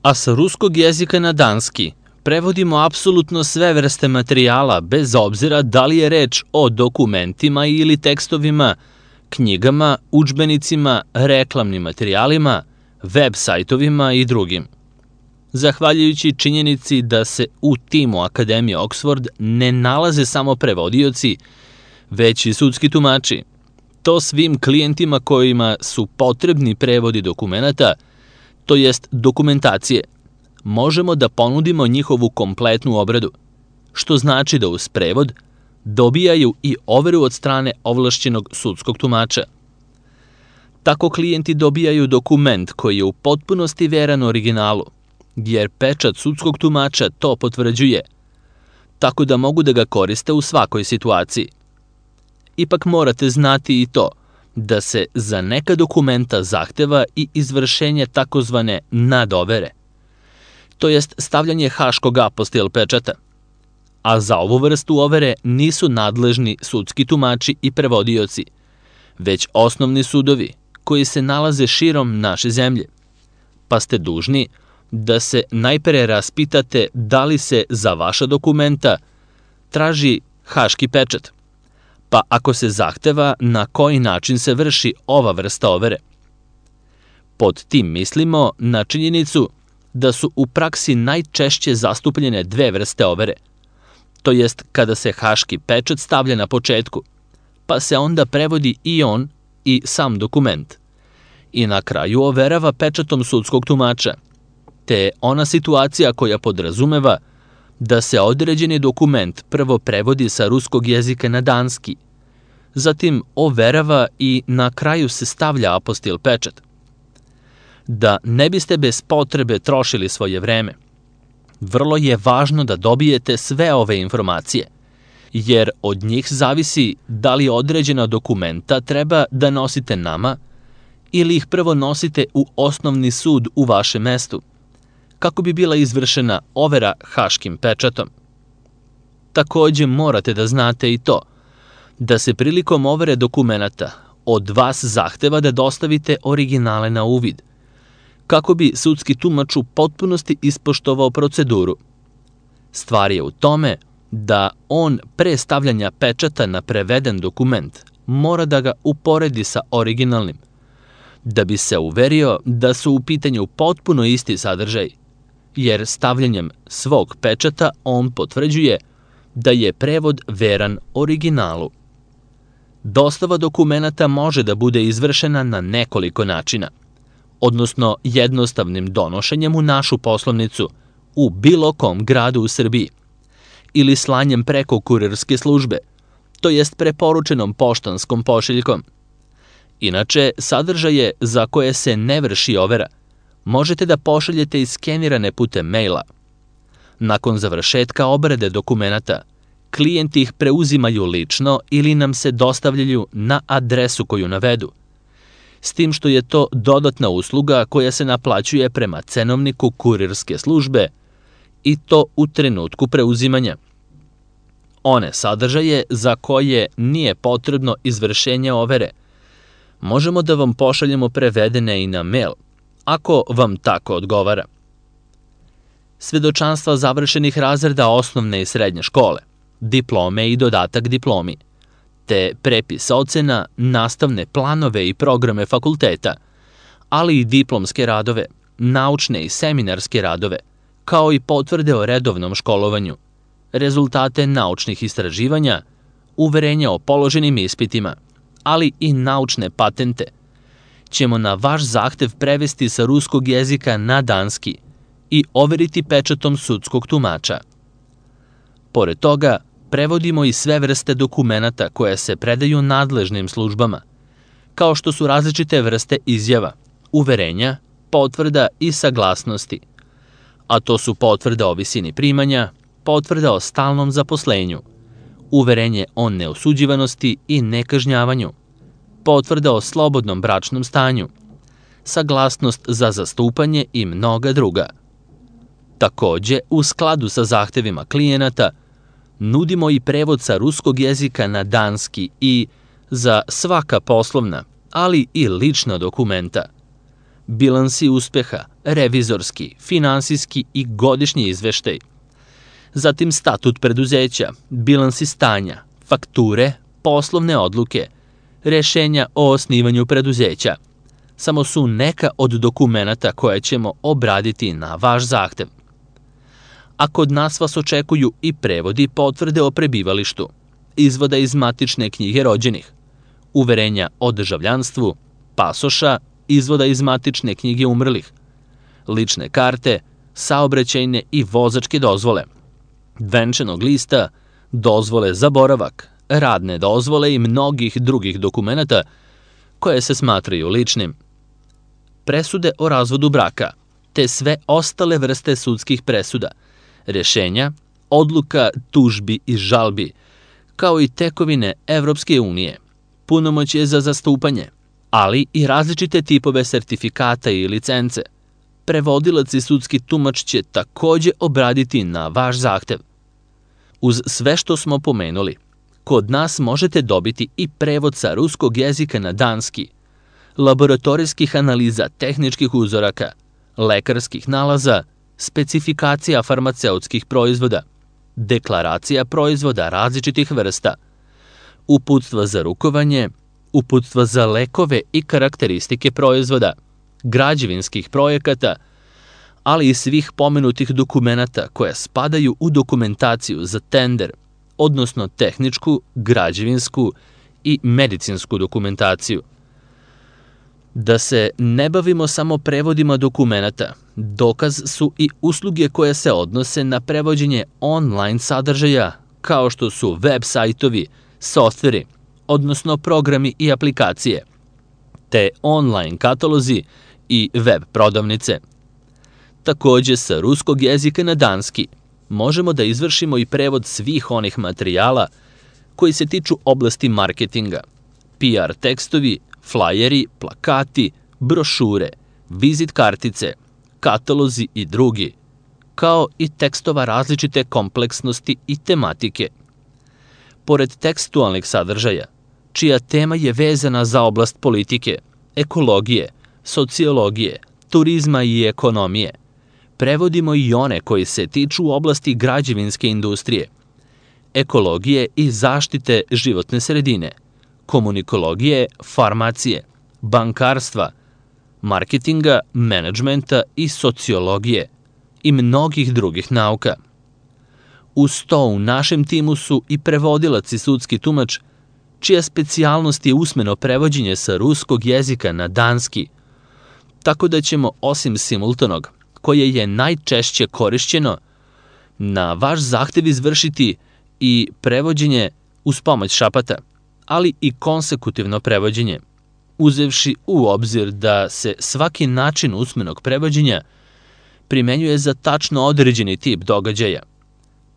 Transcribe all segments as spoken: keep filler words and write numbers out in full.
A sa ruskog jezika na danski prevodimo apsolutno sve vrste materijala, bez obzira da li je reč o dokumentima ili tekstovima, knjigama, udžbenicima, reklamnim materijalima, web sajtovima i drugim. Zahvaljujući činjenici da se u timu Akademije Oxford ne nalaze samo prevodioci, već i sudski tumači, to svim klijentima kojima su potrebni prevodi dokumenata, to jest dokumentacije, možemo da ponudimo njihovu kompletnu obradu, što znači da uz prevod dobijaju i overu od strane ovlašćenog sudskog tumača. Tako klijenti dobijaju dokument koji je u potpunosti veran originalu, jer pečat sudskog tumača to potvrđuje, tako da mogu da ga koriste u svakoj situaciji. Ipak morate znati i to da se za neka dokumenta zahteva i izvršenje takozvane nadovere, to jest stavljanje haškog apostil pečata, a za ovu vrstu overe nisu nadležni sudski tumači i prevodioci, već osnovni sudovi koji se nalaze širom naše zemlje, pa ste dužni da se najpre raspitate da li se za vaša dokumenta traži haški pečat, pa ako se zahteva na koji način se vrši ova vrsta overe. Pod tim mislimo na činjenicu da su u praksi najčešće zastupljene dve vrste overe, to jest kada se haški pečat stavlja na početku, pa se onda prevodi i on i sam dokument, i na kraju overava pečatom sudskog tumača, te ona situacija koja podrazumeva da se određeni dokument prvo prevodi sa ruskog jezika na danski, zatim overava i na kraju se stavlja apostil pečat. Da ne biste bez potrebe trošili svoje vreme, vrlo je važno da dobijete sve ove informacije, jer od njih zavisi da li određena dokumenta treba da nosite nama ili ih prvo nosite u osnovni sud u vašem mestu, kako bi bila izvršena overa haškim pečatom. Takođe morate da znate i to, da se prilikom overe dokumenata od vas zahteva da dostavite originale na uvid, kako bi sudski tumač u potpunosti ispoštovao proceduru. Stvar je u tome da on pre stavljanja pečata na preveden dokument mora da ga uporedi sa originalnim, da bi se uverio da su u pitanju potpuno isti sadržaj, jer stavljanjem svog pečata on potvrđuje da je prevod veran originalu. Dostava dokumenata može da bude izvršena na nekoliko načina, odnosno jednostavnim donošenjem u našu poslovnicu u bilo kom gradu u Srbiji, ili slanjem preko kurirske službe, to jest preporučenom poštanskom pošiljkom. Inače, sadržaje za koje se ne vrši overa možete da pošaljete iskenirane putem maila. Nakon završetka obrade dokumenata, klijenti ih preuzimaju lično ili nam se dostavljaju na adresu koju navedu, s tim što je to dodatna usluga koja se naplaćuje prema cenovniku kurirske službe i to u trenutku preuzimanja. One sadržaje za koje nije potrebno izvršenje overe možemo da vam pošaljemo prevedene i na mail, ako vam tako odgovara. Svedočanstva završenih razreda osnovne i srednje škole, diplome i dodatak diplomi, te prepis ocena, nastavne planove i programe fakulteta, ali i diplomske radove, naučne i seminarske radove, kao i potvrde o redovnom školovanju, rezultate naučnih istraživanja, uverenja o položenim ispitima, ali i naučne patente, ćemo na vaš zahtev prevesti sa ruskog jezika na danski i overiti pečatom sudskog tumača. Pored toga, prevodimo i sve vrste dokumenata koje se predaju nadležnim službama, kao što su različite vrste izjava, uverenja, potvrda i saglasnosti, a to su potvrda o visini primanja, potvrda o stalnom zaposlenju, uverenje o neosuđivanosti i nekažnjavanju, potvrda o slobodnom bračnom stanju, saglasnost za zastupanje i mnoga druga. Takođe, u skladu sa zahtevima klijenata, nudimo i prevod sa ruskog jezika na danski i za svaka poslovna, ali i lična dokumenta. bilansi uspeha, revizorski, finansijski i godišnji izveštaj. Zatim statut preduzeća, bilansi stanja, fakture, poslovne odluke, rešenja o osnivanju preduzeća. Samo su neka od dokumenata koje ćemo obraditi na vaš zahtev. A kod nas vas očekuju i prevodi potvrde o prebivalištu, izvoda iz matične knjige rođenih, uverenja o državljanstvu, pasoša, izvoda iz matične knjige umrlih, lične karte, saobraćajne i vozačke dozvole, venčanog lista, dozvole za boravak, radne dozvole i mnogih drugih dokumenata koje se smatraju ličnim. Presude o razvodu braka, te sve ostale vrste sudskih presuda, rešenja, odluka, tužbi i žalbi, kao i tekovine Evropske unije, punomoćje za zastupanje, ali i različite tipove sertifikata i licence. Prevodilac i sudski tumač će takođe obraditi na vaš zahtev. Uz sve što smo pomenuli, kod nas možete dobiti i prevod sa ruskog jezika na danski, laboratorijskih analiza tehničkih uzoraka, lekarskih nalaza, specifikacija farmaceutskih proizvoda, deklaracija proizvoda različitih vrsta, uputstva za rukovanje, uputstva za lekove i karakteristike proizvoda, građevinskih projekata, ali i svih pomenutih dokumenata koje spadaju u dokumentaciju za tender, odnosno tehničku, građevinsku i medicinsku dokumentaciju. Da se ne bavimo samo prevodima dokumenata, dokaz su i usluge koje se odnose na prevođenje online sadržaja, kao što su web sajtovi, softveri, odnosno programi i aplikacije, te online katalozi i web prodavnice. Takođe, sa ruskog jezika na danski možemo da izvršimo i prevod svih onih materijala koji se tiču oblasti marketinga, P R tekstovi, flajeri, plakati, brošure, vizit kartice, katalozi i drugi, kao i tekstova različite kompleksnosti i tematike. Pored tekstualnih sadržaja, čija tema je vezana za oblast politike, ekologije, sociologije, turizma i ekonomije, prevodimo i one koji se tiču oblasti građevinske industrije, ekologije i zaštite životne sredine, komunikologije, farmacije, bankarstva, marketinga, menadžmenta i sociologije i mnogih drugih nauka. Uz to u našem timu su i prevodilac i sudski tumač, čija specijalnost je usmeno prevođenje sa ruskog jezika na danski, tako da ćemo osim simultanog, koje je najčešće korišćeno, na vaš zahtev izvršiti i prevođenje uz pomoć šapata, ali i konsekutivno prevođenje, uzevši u obzir da se svaki način usmenog prevođenja primenjuje za tačno određeni tip događaja.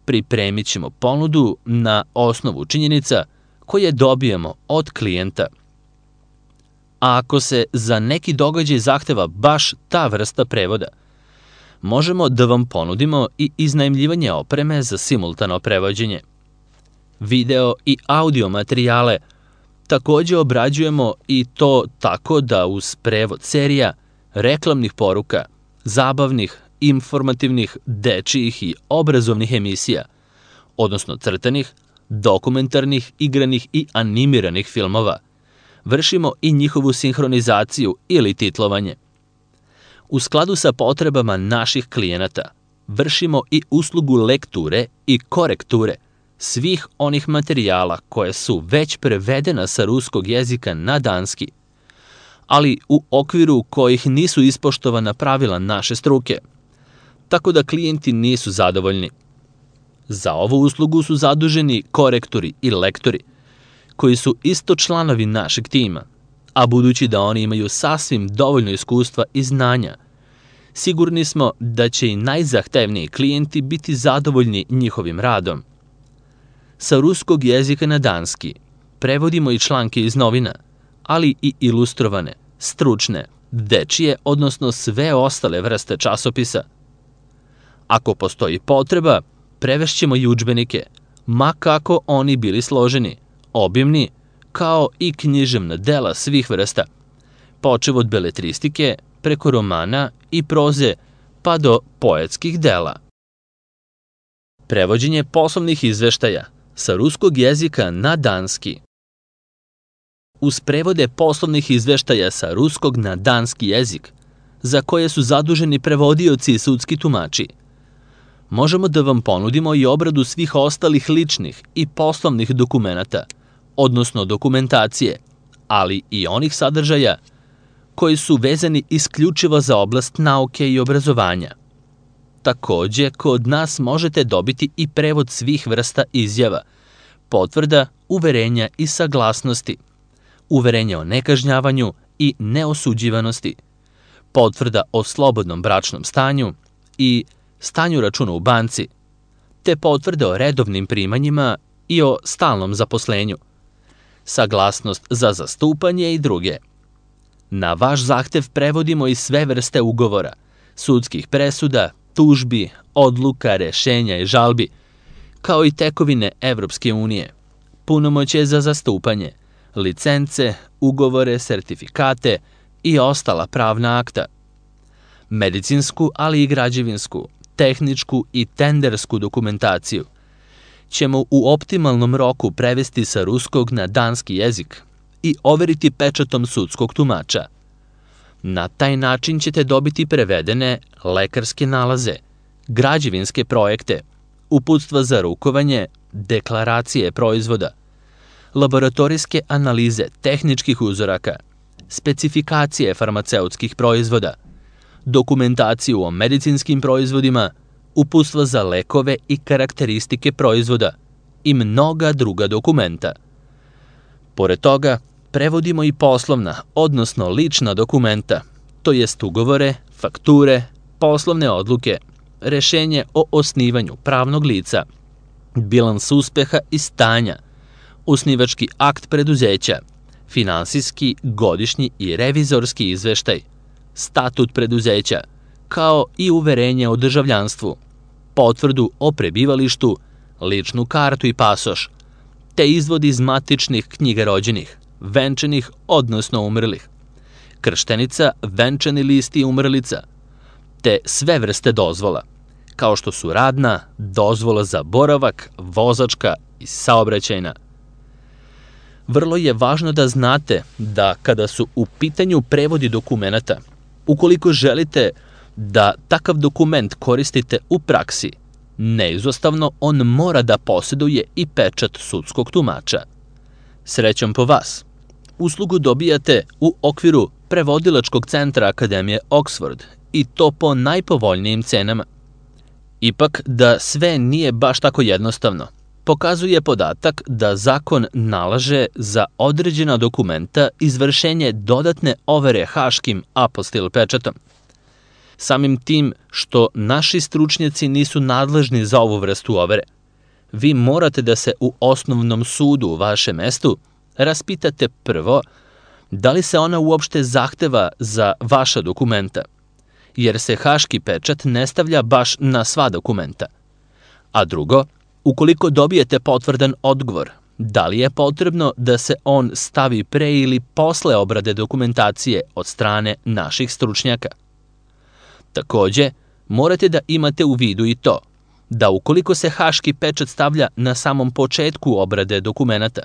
Pripremit ćemo ponudu na osnovu činjenica koje dobijemo od klijenta. A ako se za neki događaj zahteva baš ta vrsta prevoda, možemo da vam ponudimo i iznajmljivanje opreme za simultano prevođenje. Video i audio materijale takođe obrađujemo i to tako da uz prevod serija, reklamnih poruka, zabavnih, informativnih, dečijih i obrazovnih emisija, odnosno crtanih, dokumentarnih, igranih i animiranih filmova, vršimo i njihovu sinhronizaciju ili titlovanje. U skladu sa potrebama naših klijenata, vršimo i uslugu lekture i korekture svih onih materijala koje su već prevedena sa ruskog jezika na danski, ali u okviru kojih nisu ispoštovana pravila naše struke, tako da klijenti nisu zadovoljni. Za ovu uslugu su zaduženi korektori i lektori, koji su isto članovi našeg tima, a budući da oni imaju sasvim dovoljno iskustva i znanja, sigurni smo da će i najzahtevniji klijenti biti zadovoljni njihovim radom. Sa ruskog jezika na danski prevodimo i članke iz novina, ali i ilustrovane, stručne, dečije, odnosno sve ostale vrste časopisa. Ako postoji potreba, prevešćemo i udžbenike, ma kako oni bili složeni, obimni, kao i književna dela svih vrsta, počev od beletristike, preko romana i proze pa do poetskih dela. Prevođenje poslovnih izveštaja sa ruskog jezika na danski. Uz prevode poslovnih izveštaja sa ruskog na danski jezik, za koje su zaduženi prevodioci i sudski tumači, možemo da vam ponudimo i obradu svih ostalih ličnih i poslovnih dokumenata, odnosno dokumentacije, ali i onih sadržaja koji su vezani isključivo za oblast nauke i obrazovanja. Takođe, kod nas možete dobiti i prevod svih vrsta izjava, potvrda, uverenja i saglasnosti, uverenja o nekažnjavanju i neosuđivanosti, potvrda o slobodnom bračnom stanju i stanju računa u banci, te potvrde o redovnim primanjima i o stalnom zaposlenju, saglasnost za zastupanje i druge. Na vaš zahtev prevodimo i sve vrste ugovora, sudskih presuda, tužbi, odluka, rešenja i žalbi, kao i tekovine Evropske unije, punomoćje za zastupanje, licence, ugovore, sertifikate i ostala pravna akta, medicinsku, ali i građevinsku, tehničku i tendersku dokumentaciju ćemo u optimalnom roku prevesti sa ruskog na danski jezik i overiti pečatom sudskog tumača. Na taj način ćete dobiti prevedene lekarske nalaze, građevinske projekte, uputstva za rukovanje, deklaracije proizvoda, laboratorijske analize tehničkih uzoraka, specifikacije farmaceutskih proizvoda, dokumentaciju o medicinskim proizvodima, uputstva za lekove i karakteristike proizvoda i mnoga druga dokumenta. Pored toga, prevodimo i poslovna, odnosno lična dokumenta, to jest ugovore, fakture, poslovne odluke, rešenje o osnivanju pravnog lica, bilans uspeha i stanja, osnivački akt preduzeća, finansijski, godišnji i revizorski izveštaj, statut preduzeća, kao i uverenje o državljanstvu, potvrdu o prebivalištu, ličnu kartu i pasoš, te izvod iz matičnih knjiga rođenih, venčanih, odnosno umrlih, krštenica, venčani list i umrlica, te sve vrste dozvola, kao što su radna, dozvola za boravak, vozačka i saobraćajna. Vrlo je važno da znate da kada su u pitanju prevodi dokumenata, ukoliko želite da takav dokument koristite u praksi, neizostavno on mora da posjeduje i pečat sudskog tumača. Srećom po vas! Uslugu dobijate u okviru prevodilačkog centra Akademije Oxford i to po najpovoljnijim cenama. Ipak da sve nije baš tako jednostavno, pokazuje podatak da zakon nalaže za određena dokumenta izvršenje dodatne overe haškim apostil pečatom. Samim tim što naši stručnjaci nisu nadležni za ovu vrstu overe, vi morate da se u osnovnom sudu u vašem mestu raspitate prvo da li se ona uopšte zahteva za vaša dokumenta, jer se haški pečat ne stavlja baš na sva dokumenta. A drugo, ukoliko dobijete potvrdan odgovor, da li je potrebno da se on stavi pre ili posle obrade dokumentacije od strane naših stručnjaka. Takođe, morate da imate u vidu i to, da ukoliko se haški pečat stavlja na samom početku obrade dokumenata,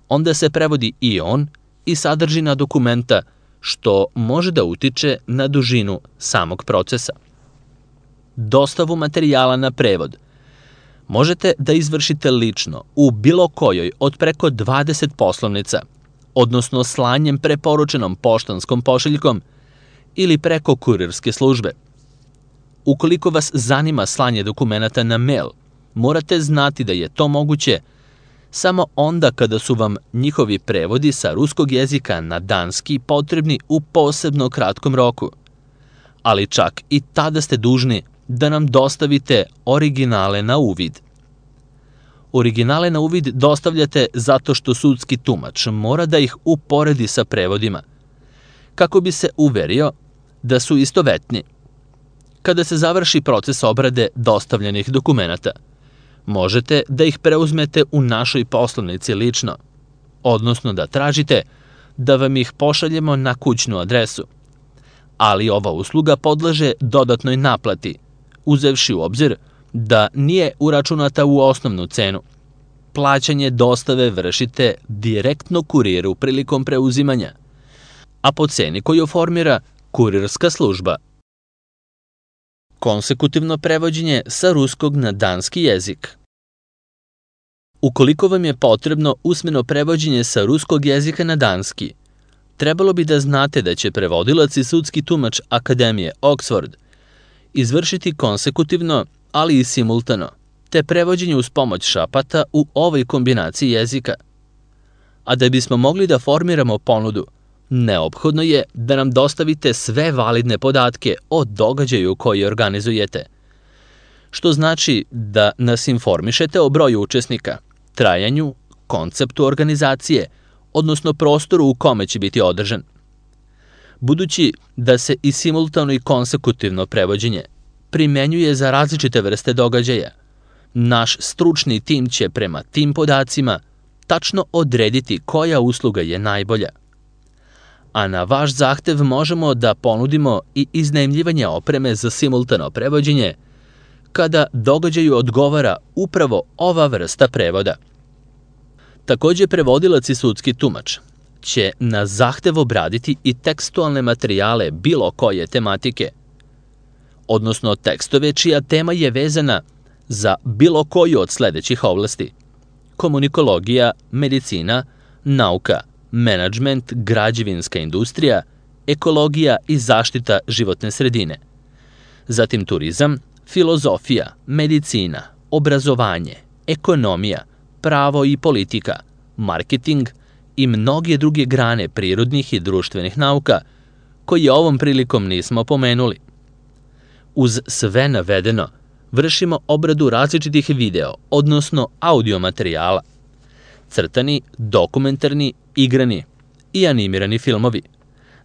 onda se prevodi i on i sadržina dokumenta, što može da utiče na dužinu samog procesa. Dostavu materijala na prevod možete da izvršite lično u bilo kojoj od preko dvadeset poslovnica, odnosno slanjem preporučenom poštanskom pošiljkom ili preko kurirske službe. Ukoliko vas zanima slanje dokumenata na mail, morate znati da je to moguće samo onda kada su vam njihovi prevodi sa ruskog jezika na danski potrebni u posebno kratkom roku. Ali čak i tada ste dužni da nam dostavite originale na uvid. Originale na uvid dostavljate zato što sudski tumač mora da ih uporedi sa prevodima, kako bi se uverio da su istovetni. Kada se završi proces obrade dostavljenih dokumenata, možete da ih preuzmete u našoj poslovnici lično, odnosno da tražite da vam ih pošaljemo na kućnu adresu. ali ova usluga podleže dodatnoj naplati, uzevši u obzir da nije uračunata u osnovnu cenu. Plaćanje dostave vršite direktno kuriru prilikom preuzimanja, a po ceni koju formira kurirska služba. Konsekutivno prevođenje sa ruskog na danski jezik. Ukoliko vam je potrebno usmeno prevođenje sa ruskog jezika na danski, trebalo bi da znate da će prevodilac i sudski tumač Akademije Oxford izvršiti konsekutivno, ali i simultano, te prevođenje uz pomoć šapata u ovoj kombinaciji jezika. A da bismo mogli da formiramo ponudu, neophodno je da nam dostavite sve validne podatke o događaju koji organizujete, što znači da nas informišete o broju učesnika, trajanju, konceptu organizacije, odnosno prostoru u kome će biti održan. Budući da se i simultano i konsekutivno prevođenje primenjuje za različite vrste događaja, naš stručni tim će prema tim podacima tačno odrediti koja usluga je najbolja. A na vaš zahtev možemo da ponudimo i iznajmljivanje opreme za simultano prevođenje kada događaju odgovara upravo ova vrsta prevoda. Takođe, prevodilac i sudski tumač će na zahtev obraditi i tekstualne materijale bilo koje tematike, odnosno tekstove čija tema je vezana za bilo koju od sledećih oblasti: komunikologija, medicina, nauka, menadžment, građevinska industrija, ekologija i zaštita životne sredine, zatim turizam, filozofija, medicina, obrazovanje, ekonomija, pravo i politika, marketing i mnoge druge grane prirodnih i društvenih nauka, koje ovom prilikom nismo pomenuli. Uz sve navedeno, vršimo obradu različitih video, odnosno audio materijala, crtani, dokumentarni, igrani i animirani filmovi,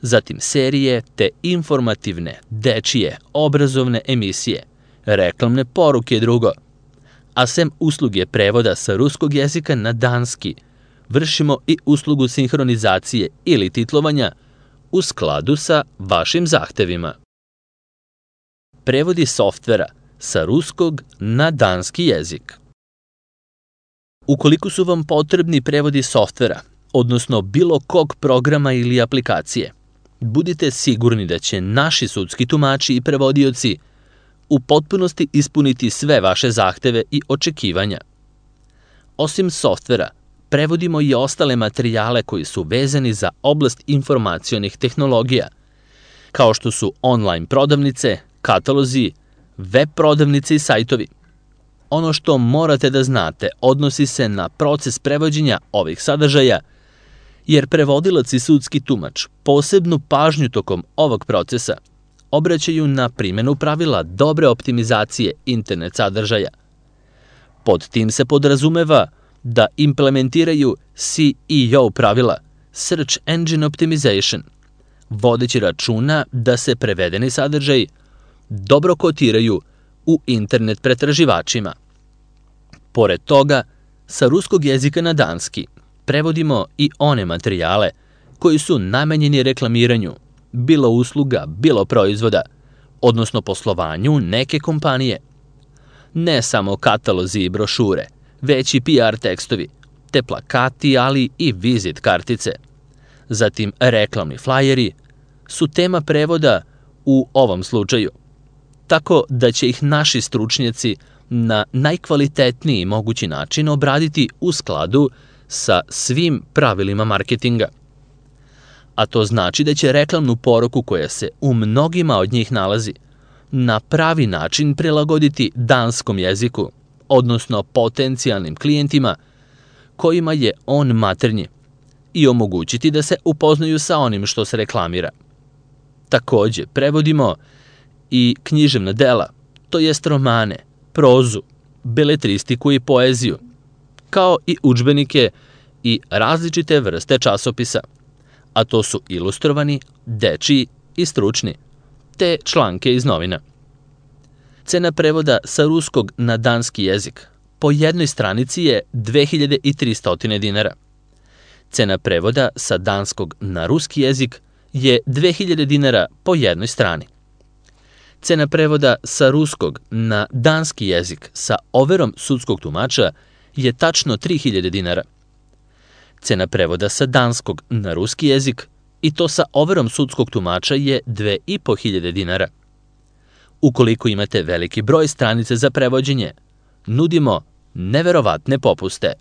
zatim serije te informativne, dečije, obrazovne emisije, reklamne poruke i drugo. A sem usluge prevoda sa ruskog jezika na danski, vršimo i uslugu sinhronizacije ili titlovanja u skladu sa vašim zahtevima. Prevodi softvera sa ruskog na danski jezik. Ukoliko su vam potrebni prevodi softvera, odnosno bilo kog programa ili aplikacije, budite sigurni da će naši sudski tumači i prevodioci u potpunosti ispuniti sve vaše zahteve i očekivanja. Osim softvera, prevodimo i ostale materijale koji su vezani za oblast informacionih tehnologija, kao što su online prodavnice, katalozi, web prodavnice i sajtovi. Ono što morate da znate odnosi se na proces prevođenja ovih sadržaja, jer prevodilac i sudski tumač posebnu pažnju tokom ovog procesa obraćaju na primjenu pravila dobre optimizacije internet sadržaja. Pod tim se podrazumeva da implementiraju C E O pravila, Search Engine Optimization, vodeći računa da se prevedeni sadržaj dobro kotiraju u internet pretraživačima. Pored toga, sa ruskog jezika na danski prevodimo i one materijale koji su namenjeni reklamiranju, bilo usluga, bilo proizvoda, odnosno poslovanju neke kompanije. Ne samo katalozi i brošure, već i P R tekstovi, te plakati, ali i vizit kartice. Zatim reklamni flajeri su tema prevoda u ovom slučaju, tako da će ih naši stručnjaci na najkvalitetniji mogući način obraditi u skladu sa svim pravilima marketinga. A to znači da će reklamnu poruku koja se u mnogima od njih nalazi na pravi način prilagoditi danskom jeziku, odnosno potencijalnim klijentima kojima je on maternji, i omogućiti da se upoznaju sa onim što se reklamira. Takođe, prevodimo i književna dela, to jest romane, prozu, beletristiku i poeziju, kao i udžbenike i različite vrste časopisa, a to su ilustrovani, dečiji i stručni, te članke iz novina. Cena prevoda sa ruskog na danski jezik po jednoj stranici je dve hiljade tristo dinara. Cena prevoda sa danskog na ruski jezik je dve hiljade dinara po jednoj strani. Cena prevoda sa ruskog na danski jezik sa overom sudskog tumača je tačno tri hiljade dinara. Cena prevoda sa danskog na ruski jezik, i to sa overom sudskog tumača, je dve i po hiljade dinara. Ukoliko imate veliki broj stranica za prevođenje, nudimo neverovatne popuste.